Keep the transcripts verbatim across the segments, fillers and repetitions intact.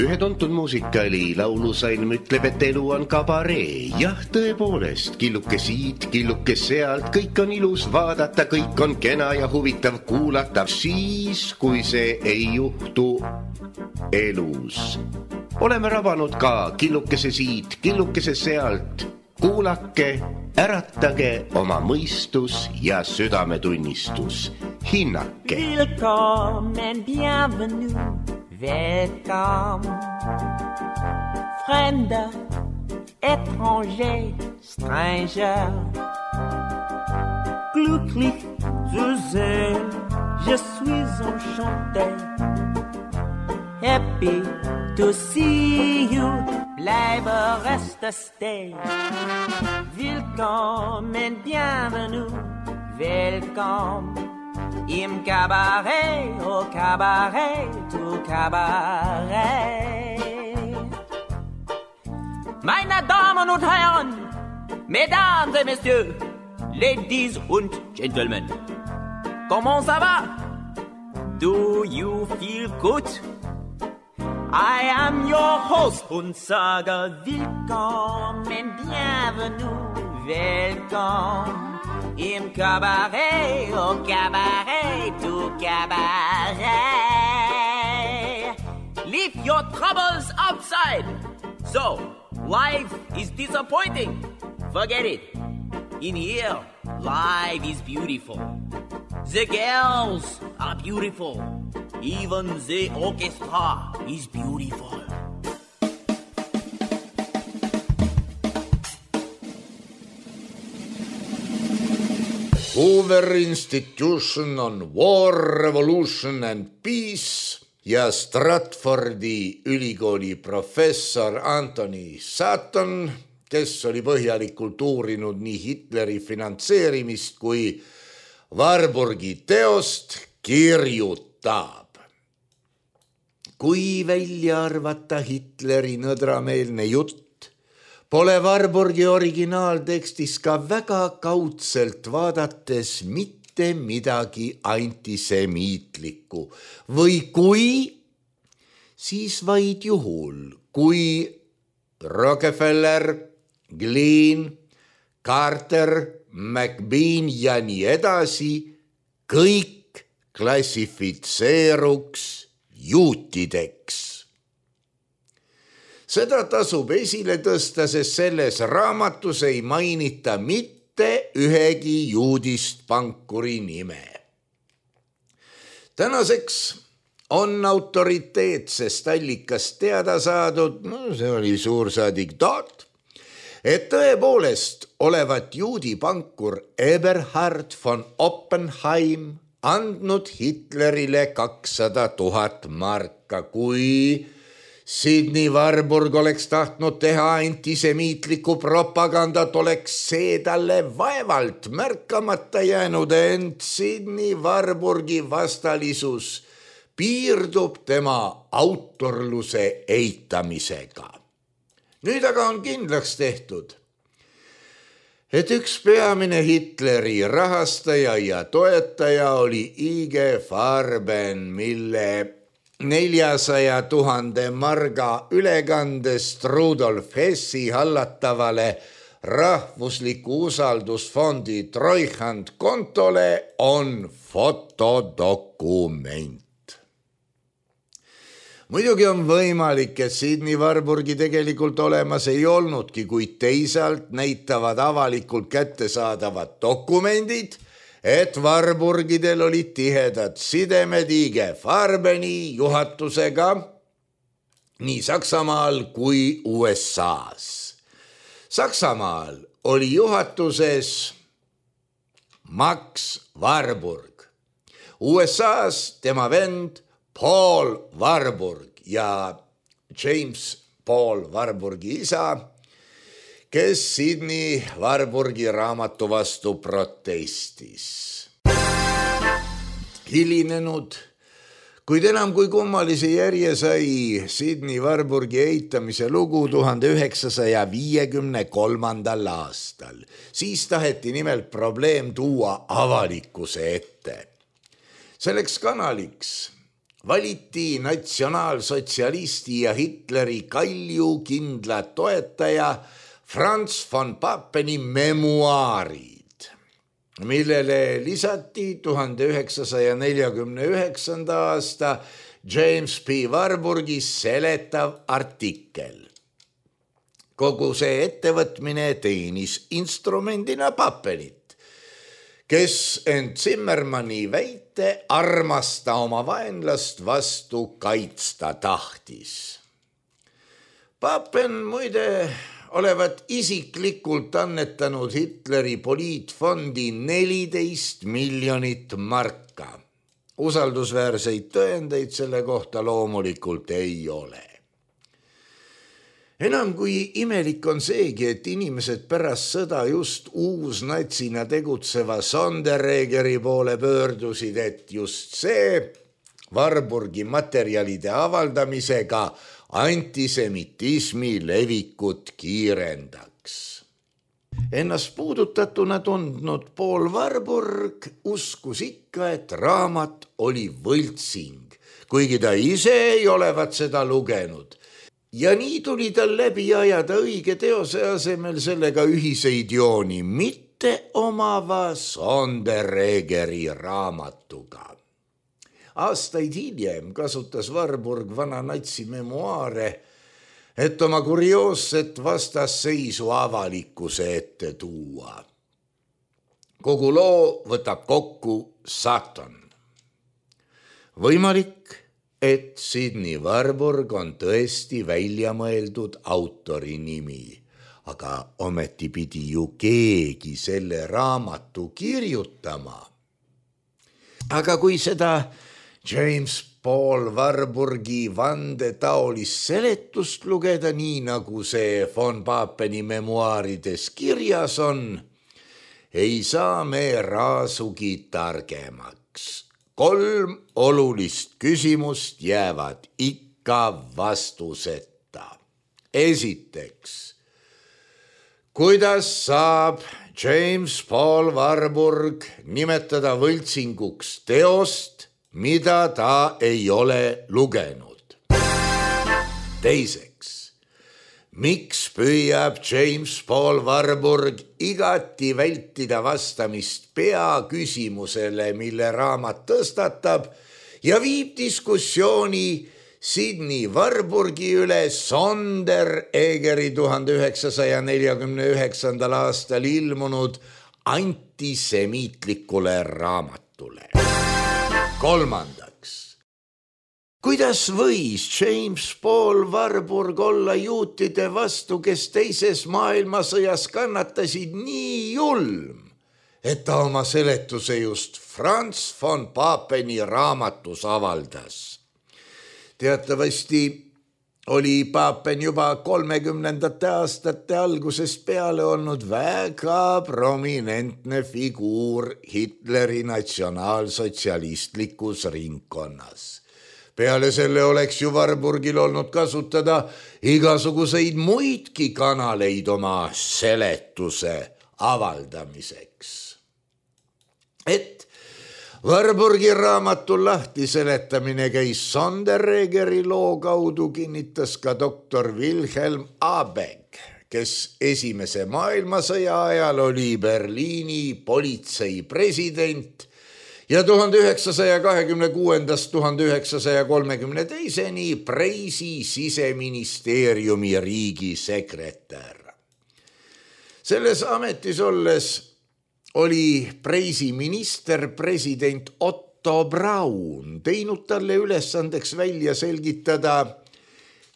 Ühe tuntud muusikali laulusalm ütleb, et elu on kabaree. Jah, tõepoolest, killuke siit, killuke sealt, kõik on ilus vaadata, kõik on kena ja huvitav kuulata, siis, kui see ei juhtu elus. Oleme rabanud ka killukese siit, killukese sealt. Kuulake, äratage oma mõistus ja südametunnistus. Hinnake. Willkommen, bienvenue, welcome. Fremder, étranger, stranger. Glücklich zu sehen, je suis enchanté. Happy to see you, bleibe reste stay. Willkommen, bienvenue, welcome. Im Cabaret, au Cabaret, au Cabaret. Meine Damen und Herren, Mesdames et Messieurs, Ladies und Gentlemen, comment ça va? Do you feel good? I am your host und sage willkommen, bienvenue, welcome. Im Cabaret, au Cabaret, au Cabaret. Leave your troubles outside. So, life is disappointing. Forget it. In here, life is beautiful. The girls are beautiful. Even the orchestra is beautiful. Hoover Institution on War, Revolution and Peace ja Stratfordi ülikooli professor Anthony Sutton, kes oli põhjalikult uurinud nii Hitleri finantseerimist kui Warburgi teost, kirjutab. Kui välja arvata Hitleri nõdrameelne jutt, pole Warburgi originaaltekstis ka väga kaudselt vaadates mitte midagi antisemiitlikku. Või kui, siis vaid juhul, kui Rockefeller, Glean, Carter, McBean ja nii edasi kõik klassifitseeruks juutideks. Seda tasub esile tõsta, sest selles raamatus ei mainita mitte ühegi juudist pankuri nime. Tänaseks on autoriteetsest allikast teada saadud, no see oli suursaadik Todt, et tõepoolest olevat juudi pankur Eberhard von Oppenheim andnud Hitlerile kakssada tuhat marka, kui Sidney Warburg oleks tahtnud teha antisemiitlikku propagandat, oleks see talle vaevalt märkamata jäänud, ent Sidney Warburgi vastalisus piirdub tema autorluse eitamisega. Nüüd aga on kindlaks tehtud, et üks peamine Hitleri rahastaja ja toetaja oli I G Farben, mille neljasaja tuhande marga ülekandest Rudolf Hessi hallatavale rahvusliku usaldusfondi Treuhand kontole on fotodokument. Muidugi on võimalik, et Sidney Warburgi tegelikult olemas ei olnudki, kuid teisalt näitavad avalikult kättesaadavad dokumendid, et Warburgidel olid tihedad sidemed I G Farbeni juhatusega nii Saksamaal kui U S A-s. Saksamaal oli juhatuses Max Warburg, U S A-s tema vend Paul Warburg ja James Paul Warburgi isa, kes Sidney Warburgi raamatu vastu protestis. Hilinenud, kuid enam kui kummalise järje sai Sidney Warburgi eitamise lugu tuhande üheksasaja viiekümne kolmandal aastal. Siis taheti nimelt probleem tuua avalikkuse ette. Selleks kanaliks valiti natsionaalsotsialisti ja Hitleri kaljukindla toetaja Franz von Papeni memuaarid, millele lisati tuhande üheksasaja neljakümne üheksanda aasta James P. Warburgi seletav artikkel. Kogu see ettevõtmine teenis instrumendina Papenit, kes end Zimmermanni väite armasta oma vaenlast vastu kaitsta tahtis. Papen muide olevat isiklikult annetanud Hitleri poliitfondi neliteist miljonit marka. Usaldusväärseid tõendeid selle kohta loomulikult ei ole. Enam kui imelik on seegi, et inimesed pärast sõda just uusnatsina tegutseva Sonderegeri poole pöördusid, et just see Warburgi materjalide avaldamisega antisemitismi levikut kiirendaks. Ennast puudutatuna tundnud Paul Warburg uskus ikka, et raamat oli võltsing, kuigi ta ise ei olevat seda lugenud. Ja nii tuli tal läbi ajada õige teose asemel sellega ühiseid jooni, mitte omava Sonderegeri raamatuga. Aastaid hiljem kasutas Warburg vana natsi memuaare, et oma kurioosset vastasseisu avalikkuse ette tuua. Kogu loo võtab kokku Sutton. Võimalik, et Sidney Warburg on tõesti välja mõeldud autori nimi, aga ometi pidi ju keegi selle raamatu kirjutama. Aga kui seda James Paul Warburgi vandetaolist seletust lugeda nii, nagu see von Papeni memuaarides kirjas on, ei saa me raasugi targemaks. Kolm olulist küsimust jäävad ikka vastuseta. Esiteks, kuidas saab James Paul Warburg nimetada võltsinguks teost, mida ta ei ole lugenud? Teiseks, miks püüab James Paul Warburg igati vältida vastamist peaküsimusele, mille raamat tõstatab, ja viib diskussiooni Sidney Warburgi üle Sonderegeri tuhande üheksasaja neljakümne üheksandal aastal ilmunud antisemiitlikule raamatule? Kolmandaks, kuidas võis James Paul Warburg olla juutide vastu, kes teises maailmasõjas kannatasid nii julm, et ta oma seletuse just Franz von Papeni raamatus avaldas? Teatavasti oli Papen juba kolmekümnendate aastate algusest peale olnud väga prominentne figuur Hitleri natsionaalsotsialistlikus ringkonnas. Peale selle oleks ju Warburgil olnud kasutada igasuguseid muidki kanaleid oma seletuse avaldamiseks. Et Warburgi raamatul lahti seletamine käis Sonderegeri loo kaudu, kinnitas ka doktor Wilhelm Abegg, kes esimese maailmasõja ajal oli Berliini politsei president ja tuhande üheksasaja kahekümne kuuendast tuhande üheksasaja kolmekümne teiseni Preisi siseministeeriumi riigisekretär. Selles ametis olles oli Preisi minister president Otto Braun teinud talle ülesandeks välja selgitada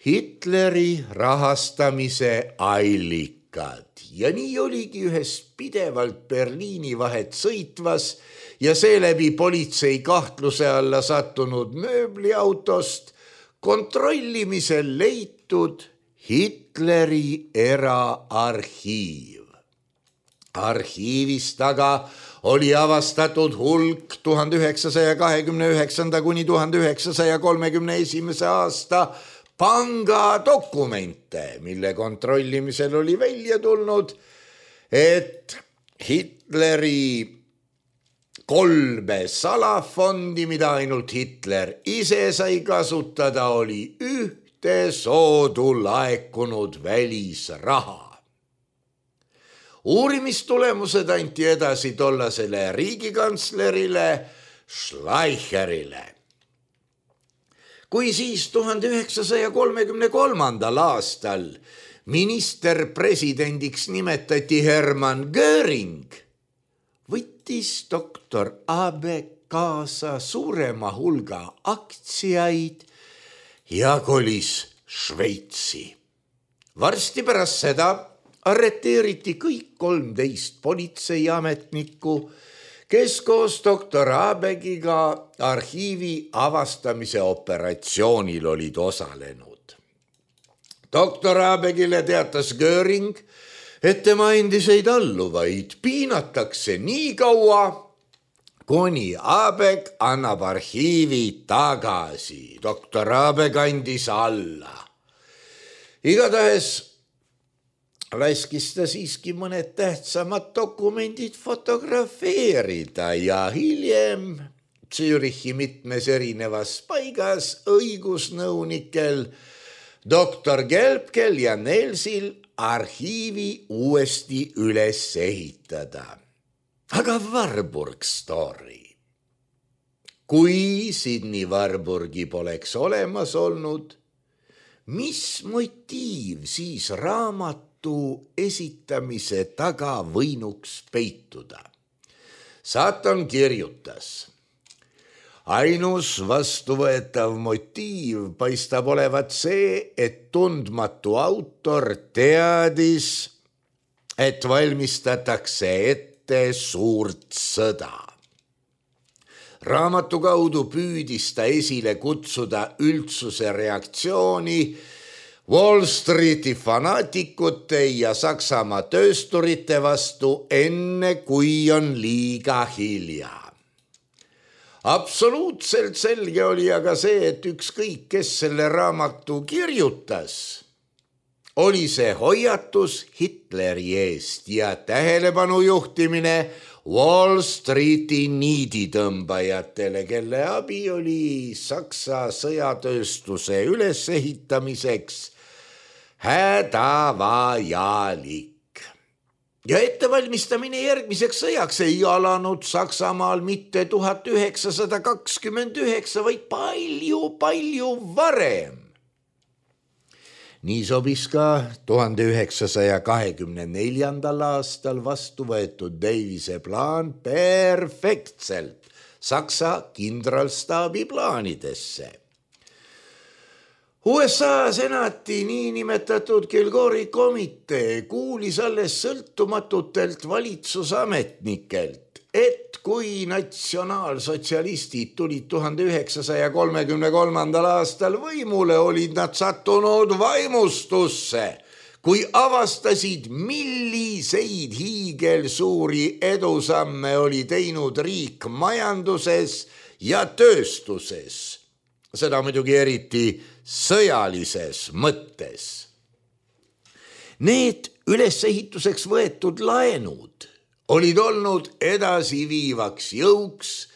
Hitleri rahastamise allikad. Ja nii oligi ühest pidevalt Berliini vahet sõitvas ja seeläbi politsei kahtluse alla sattunud mööbliautost kontrollimisel leitud Hitleri eraarhiiv. Arhiivist aga oli avastatud hulk tuhande üheksasaja kahekümne üheksanda kuni tuhande üheksasaja kolmekümne esimese aasta pangadokumente, mille kontrollimisel oli välja tulnud, et Hitleri kolme salafondi, mida ainult Hitler ise sai kasutada, oli ühte soodu laekunud välisraha. Uurimistulemused anti edasi tollasele riigikantslerile Schleicherile. Kui siis tuhande üheksasaja kolmekümne kolmandal aastal minister presidendiks nimetati Hermann Göring, võttis doktor Abeck kaasa suurema hulga aktsiaid ja kolis Šveitsi. Varsti pärast seda arreteeriti kõik kolmteist politseiametnikku, kes koos doktor Abeckiga arhiivi avastamise operatsioonil olid osalenud. doktor Abeckile teatas Göring, et tema endiseid alluvaid piinatakse nii kaua, kuni Abeck annab arhiivi tagasi. doktor Abeck andis alla. Igatahes laskis ta siiski mõned tähtsamad dokumendid fotografeerida ja hiljem Zürichi mitmes erinevas paigas õigusnõunikel doktor Gelbkel ja Nelsil arhiivi uuesti üles ehitada. Aga Warburg story. Kui Sydney Warburgi poleks olemas olnud, mis motiiv siis raamat esitamise taga võinuks peituda? Satan kirjutas. Ainus vastuvõetav motiiv paistab olevat see, et tundmatu autor teadis, et valmistatakse ette suurt sõda. Raamatu kaudu püüdis ta esile kutsuda üldsuse reaktsiooni Wall Streeti fanaatikute ja Saksamaa töösturite vastu enne, kui on liiga hilja. Absoluutselt selge oli aga see, et ükskõik, kes selle raamatu kirjutas, oli see hoiatus Hitleri eest ja tähelepanu juhtimine Wall Streeti niiditõmbajatele, kelle abi oli Saksa sõjatööstuse ülesehitamiseks hädavajalik. Ja ettevalmistamine järgmiseks sõjaks ei alanud Saksamaal mitte tuhat üheksasada kakskümmend üheksa, vaid palju, palju varem. Nii sobis ka tuhande üheksasaja kahekümne neljandal aastal vastu võetud Davise plaan perfektselt Saksa kindralstaabi plaanidesse. U S A senati niinimetatud Kilgori komitee kuulis alles sõltumatutelt valitsusametnikelt, et kui natsionaalsotsialistid tulid tuhande üheksasaja kolmekümne kolmandal aastal võimule, olid nad sattunud vaimustusse, kui avastasid, milliseid hiigelsuuri edusamme oli teinud riik majanduses ja tööstuses. Seda muidugi eriti sõjalises mõttes. Need ülesehituseks võetud laenud olid olnud edasiviivaks jõuks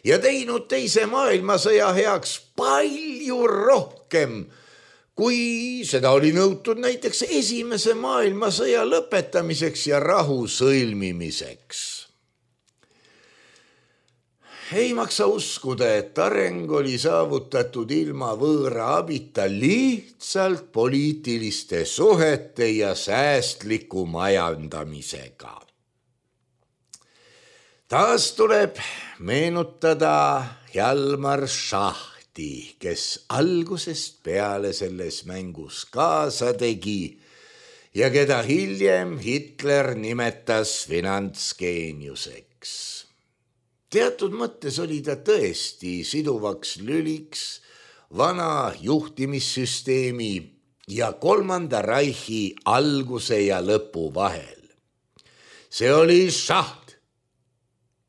ja teinud teise maailmasõja heaks palju rohkem, kui seda oli nõutud näiteks esimese maailmasõja lõpetamiseks ja rahu sõlmimiseks. Ei maksa uskuda, et areng oli saavutatud ilma võõra abita lihtsalt poliitiliste suhete ja säästliku majandamisega. Taas tuleb meenutada Hjalmar Schachti, kes algusest peale selles mängus kaasa tegi ja keda hiljem Hitler nimetas finantsgeeniuseks. Teatud mõttes oli ta tõesti siduvaks lüliks vana juhtimissüsteemi ja kolmanda Reichi alguse ja lõpu vahel. See oli Schacht,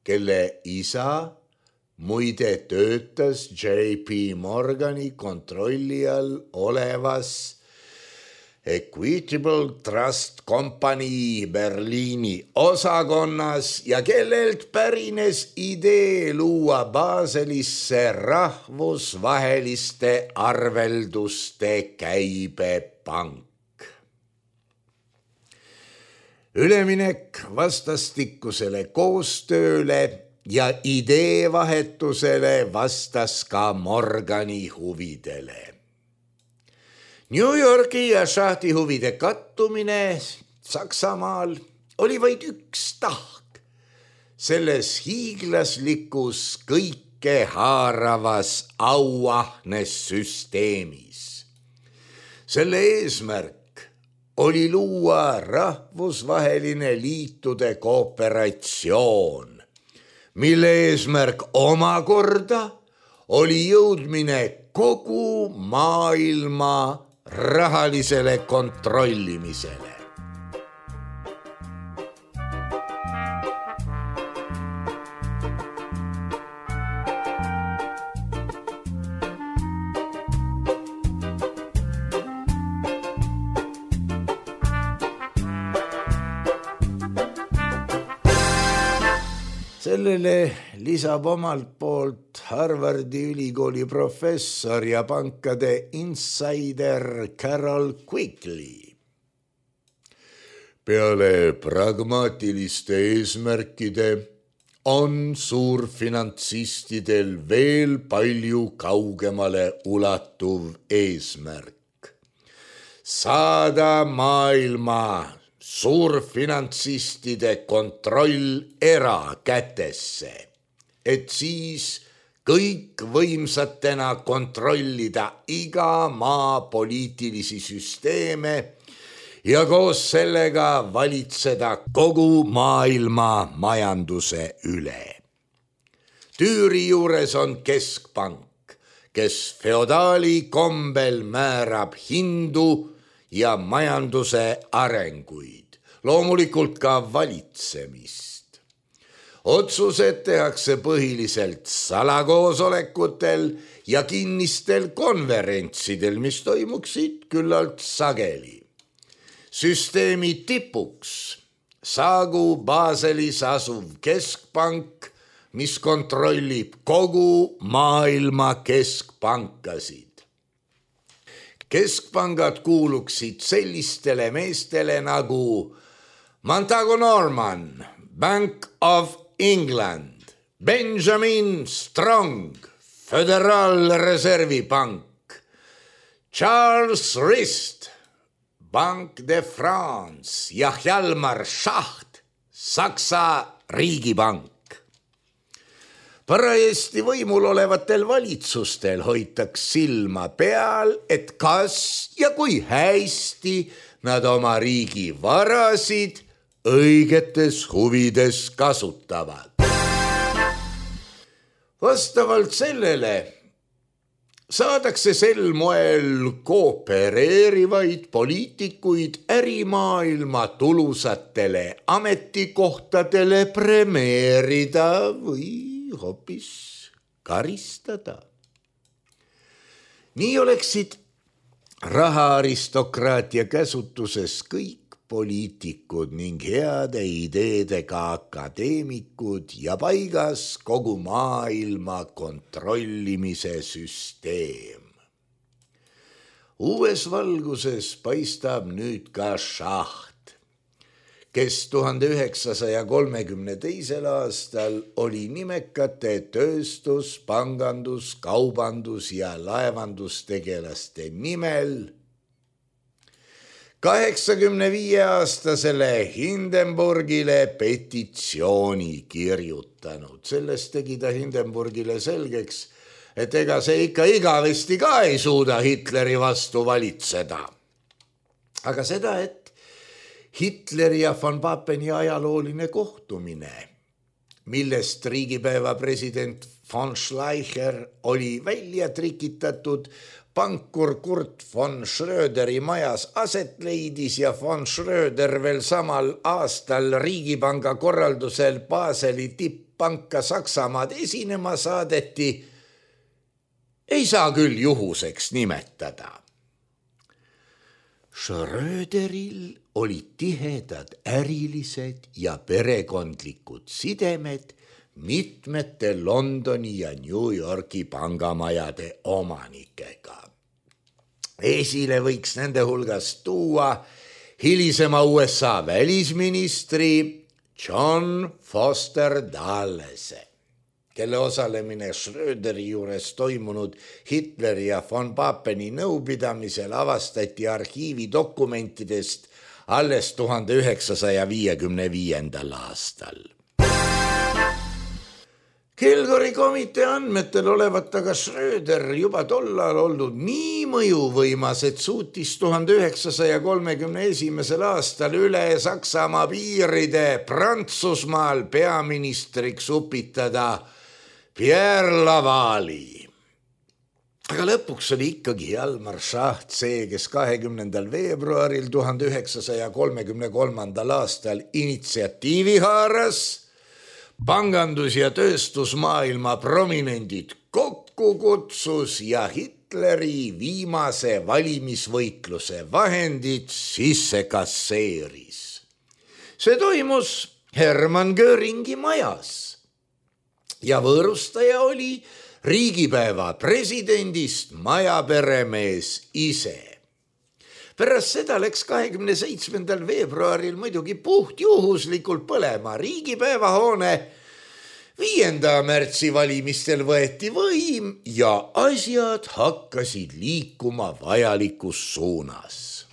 kelle isa muide töötas J P Morgani kontrolli all olevas Equitable Trust Company Berliini osakonnas ja kellelt pärines idee luua Baselisse rahvusvaheliste arvelduste käibepank. Üleminek vastastikusele koostööle ja ideevahetusele vastas ka Morgani huvidele. New Yorgi ja šahti huvide kattumine Saksamaal oli vaid üks tahk selles hiiglaslikus kõike haaravas auahnes süsteemis. Selle eesmärk oli luua rahvusvaheline liitude kooperatsioon, mille eesmärk omakorda oli jõudmine kogu maailma rahalisele kontrollimisele. Sellele lisab omalt poolt Harvardi ülikooli professor ja pankade insider Carol Quigley. Peale pragmaatiliste eesmärkide on suurfinantsistidel veel palju kaugemale ulatuv eesmärk. Saada maailma suurfinantsistide kontroll erakätesse, et siis kõik võimsatena kontrollida iga maa poliitilisi süsteeme ja koos sellega valitseda kogu maailma majanduse üle. Tüüri juures on keskpank, kes feodaali kombel määrab hindu ja majanduse arenguid, loomulikult ka valitsemist. Otsused tehakse põhiliselt salakoosolekutel ja kinnistel konverentsidel, mis toimuksid küllalt sageli. Süsteemi tipuks saagu Baselis asuv keskpank, mis kontrollib kogu maailma keskpankasid. Keskpangad kuuluksid sellistele meestele nagu Montagu Norman, Bank of England, Benjamin Strong, Föderaalreservi Pank, Charles Rist, Bank de France ja Hjalmar Schacht, Saksa riigipank. Parajasti võimul olevatel valitsustel hoitaks silma peal, et kas ja kui hästi nad oma riigi varasid õigetes huvides kasutavad. Vastavalt sellele saadakse sel moel koopereerivaid poliitikuid ärimaailma tulusatele ametikohtadele premeerida või hoopis karistada. Nii oleksid rahaaristokraatia käsutuses kõik poliitikud ning heade ideedega akadeemikud ja paigas kogu maailma kontrollimise süsteem. Uues valguses paistab nüüd ka Schacht, kes tuhande üheksasaja kolmekümne teisel aastal oli nimekate tööstus, pangandus, kaubandus ja laevandustegelaste nimel kaheksakümne viie aastasele Hindenburgile petitsiooni kirjutanud. Sellest tegi ta Hindenburgile selgeks, et ega see ikka igavesti ka ei suuda Hitleri vastu valitseda. Aga seda, et Hitleri ja von Papeni ajalooline kohtumine, millest riigipäeva president von Schleicher oli välja trikitatud, pankur Kurt von Schröderi majas aset leidis ja von Schröder veel samal aastal riigipanga korraldusel Baseli tipppanka Saksamaad esinema saadeti, ei saa küll juhuseks nimetada. Schröderil olid tihedad ärilised ja perekondlikud sidemed mitmete Londoni ja New Yorki pangamajade omanikega. Esile võiks nende hulgas tuua hilisema U S A välisministri John Foster Dullese, kelle osalemine Schröderi juures toimunud Hitleri ja von Papeni nõupidamisel avastati arhiivi dokumentidest alles tuhande üheksasaja viiekümne viiendal aastal. Kilgori komitee andmetel olevat aga Schröder juba tollal olnud nii mõjuvõimas, et suutis tuhande üheksasaja kolmekümne esimesel aastal üle Saksamaa piiride Prantsusmaal peaministriks upitada Pierre Lavali. Aga lõpuks oli ikkagi Hjalmar Schacht see, kes kahekümnendal veebruaril tuhande üheksasaja kolmekümne kolmandal aastal initsiatiivi haaras, pangandus- ja tööstusmaailma prominendid kokku kutsus ja Hitleri viimase valimisvõitluse vahendid sisse kasseeris. See toimus Hermann Göringi majas ja võõrustaja oli riigipäeva presidendist majaperemees ise. Pärast seda läks kahekümne seitsmendal veebruaril muidugi puht juhuslikult põlema riigipäevahoone. viienda märtsi valimistel võeti võim ja asjad hakkasid liikuma vajalikus suunas.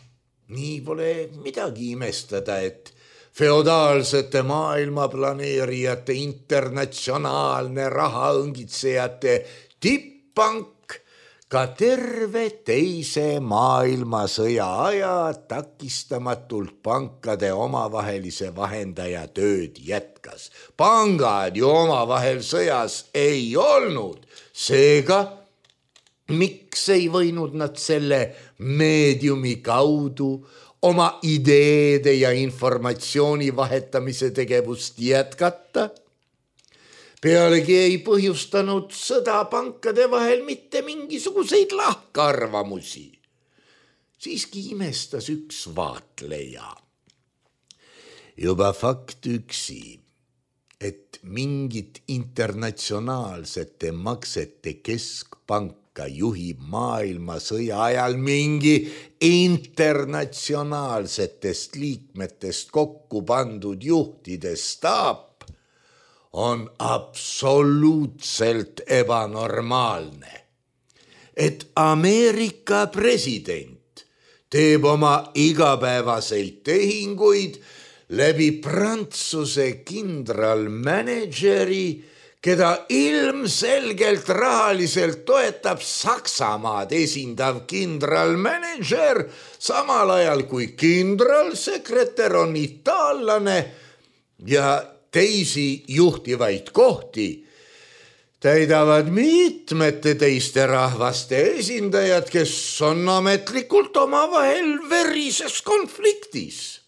Nii pole midagi imestada, et feodaalsete maailmaplaneerijate internatsionaalne rahaõngitsejate tipppank ka terve teise maailmasõja aja takistamatult pankade omavahelise vahendaja tööd jätkas. Pangad ju omavahel sõjas ei olnud, seega miks ei võinud nad selle meediumi kaudu oma ideede ja informatsiooni vahetamise tegevust jätkata? Pealegi ei põhjustanud sõda pankade vahel mitte mingisuguseid lahkarvamusi. Siiski imestas üks vaatleja. Juba fakt üksi, et mingit internatsionaalsete maksete keskpanka juhib maailmasõja ajal mingi internatsionaalsetest liikmetest kokku pandud juhtide staap, on absoluutselt ebanormaalne. Et Ameerika president teeb oma igapäevaseid tehinguid läbi Prantsuse kindralmanageri, keda ilmselgelt rahaliselt toetab Saksamaad esindav kindralmanager, samal ajal kui kindralsekretär on itaallane ja teisi juhtivaid kohti täidavad mitmete teiste rahvaste esindajad, kes on ametlikult omavahel verises konfliktis.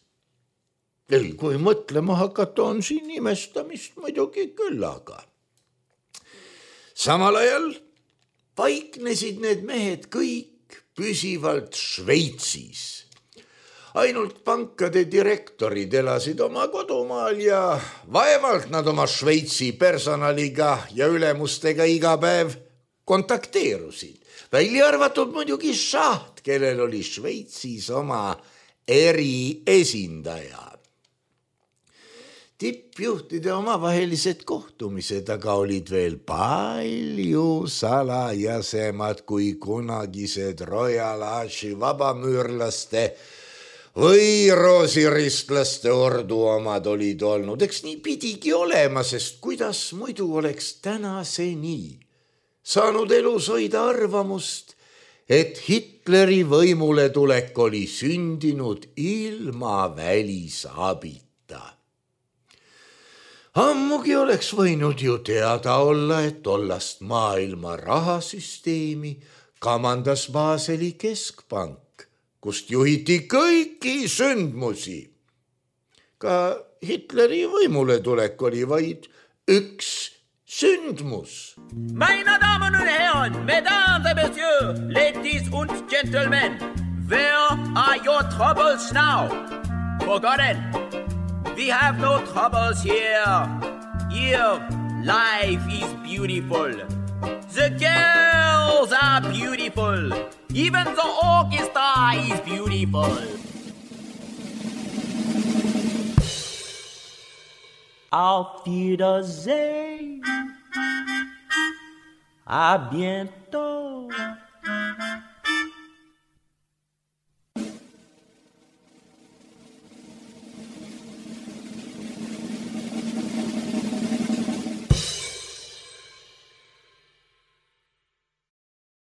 Ei, kui mõtlema hakata, on siin imestamist muidugi küll, aga samal ajal paiknesid need mehed kõik püsivalt Šveitsis. Ainult pankade direktorid elasid oma kodumaal ja vaevalt nad oma Šveitsi personaliga ja ülemustega iga päev kontakteerusid. Välja arvatud muidugi Schacht, kellel oli Šveitsis oma eriesindaja. Tippjuhtide omavahelised kohtumised aga olid veel palju salajasemad kui kunagised Royal Archi vabamüürlaste või roosiristlaste ordu omad olid olnud. Eks nii pidigi olema, sest kuidas muidu oleks tänaseni saanud elus hoida arvamust, et Hitleri võimule tulek oli sündinud ilma välisabita. Ammugi oleks võinud ju teada olla, et tollast maailma rahasüsteemi kamandas Baseli keskpank, kust juhiti kõiki sündmusi. Ka Hitleri võimule tulek oli vaid üks sündmus. Meine Damen und Herren, Mesdames et Messieurs, Ladies und Gentlemen, Where are your troubles now? Forgotten. We have no troubles here. Here, life is beautiful. The girls are beautiful. Even the orchestra is beautiful. Auf Wiedersehen. À bientôt.